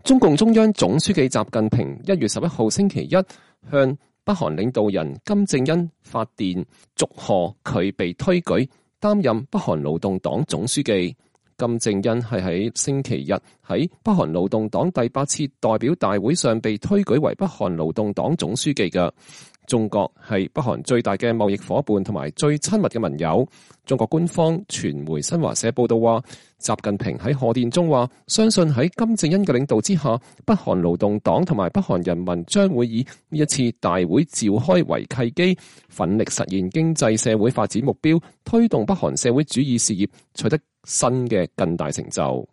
中共中央總書記習近平1月11號星期一向北韓領導人金正恩發電，祝賀佢被推舉擔任北韓勞動黨總書記。金正恩係喺星期日喺北韓勞動黨第8次代表大會上被推舉為北韓勞動黨總書記嘅。中國係北韓最大嘅貿易夥伴同埋最親密嘅盟友。中國官方傳媒新華社報道話，習近平喺賀電中話，相信喺金正恩嘅領導之下，北韓勞動黨同埋北韓人民將會以呢一次大會召開為契機，奮力實現經濟社會發展目標，推動北韓社會主義事業取得新嘅更大成就。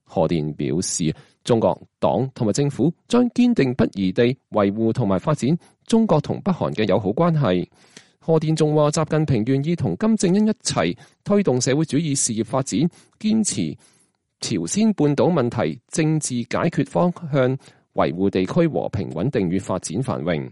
賀電表示，中國黨同埋政府將堅定不移地維護同埋發展中國同北韓嘅友好關係。賀電仲話，習近平願意同金正恩一齊推動社會主義事業發展，堅持朝鮮半島問題政治解決方向，維護地區和平穩定與發展繁榮。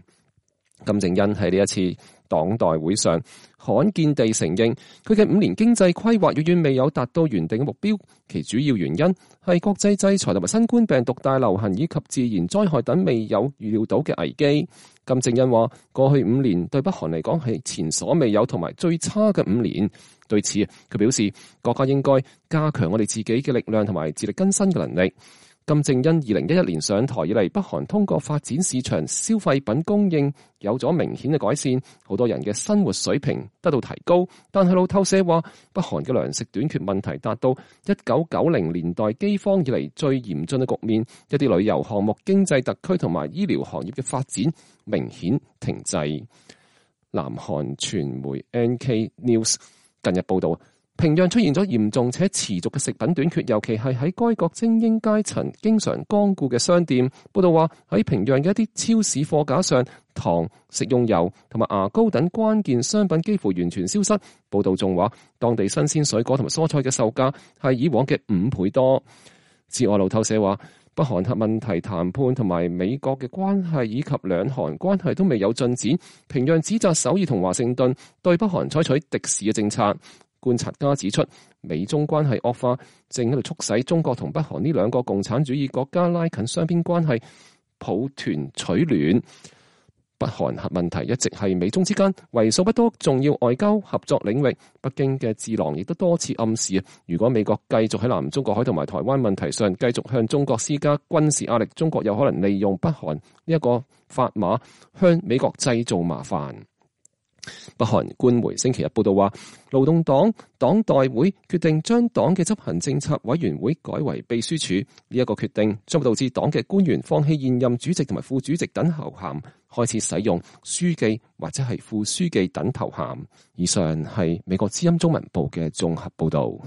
金正恩喺呢一次黨代會上罕見地承認，佢嘅5年經濟規劃遠遠未有達到原定嘅目標，其主要原因係國際制裁同埋新冠病毒大流行以及自然災害等未有預料到嘅危機。金正恩話，過去5年對北韓嚟講係前所未有同埋最差嘅5年。對此，佢表示國家應該加強我哋自己嘅力量同埋自力更生嘅能力。金正恩2011年上台以嚟，北韓通過發展市場消費品供應有咗明顯嘅改善，好多人嘅生活水平得到提高。但係路透社話，北韓嘅糧食短缺問題達到1990年代饑荒以嚟最嚴峻嘅局面，一啲旅遊項目、經濟特區同埋醫療行業嘅發展明顯停滯。南韓傳媒 NK News 近日報道，平壤出現咗嚴重且持續嘅食品短缺，尤其係喺該國精英階層經常光顧嘅商店。報道話，喺平壤嘅一啲超市貨架上，糖、食用油同埋牙膏等關鍵商品幾乎完全消失。報道仲話，當地新鮮水果同埋蔬菜嘅售價係以往嘅5倍多。此外，路透社話，北韓核問題談判同埋美國嘅關係以及兩韓關係都未有進展。平壤指責首爾同華盛頓對北韓採取敵視嘅政策。觀察家指出，美中關係惡化正喺度促使中國同北韓呢兩個共產主義國家拉近雙邊關係，抱團取暖。北韓核問題一直係美中之間為數不多重要外交合作領域。北京嘅智囊亦都多次暗示，如果美國繼續喺南中國海同埋台灣問題上繼續向中國施加軍事壓力，中國有可能利用北韓呢一個砝碼向美國製造麻煩。北韓官媒星期日報道話，勞動黨黨代會決定將黨嘅執行政策委員會改為秘書處，呢一個決定將導致黨嘅官員放棄現任主席同埋副主席等頭銜，開始使用書記或者係副書記等頭銜。以上係美國之音中文部嘅綜合報道。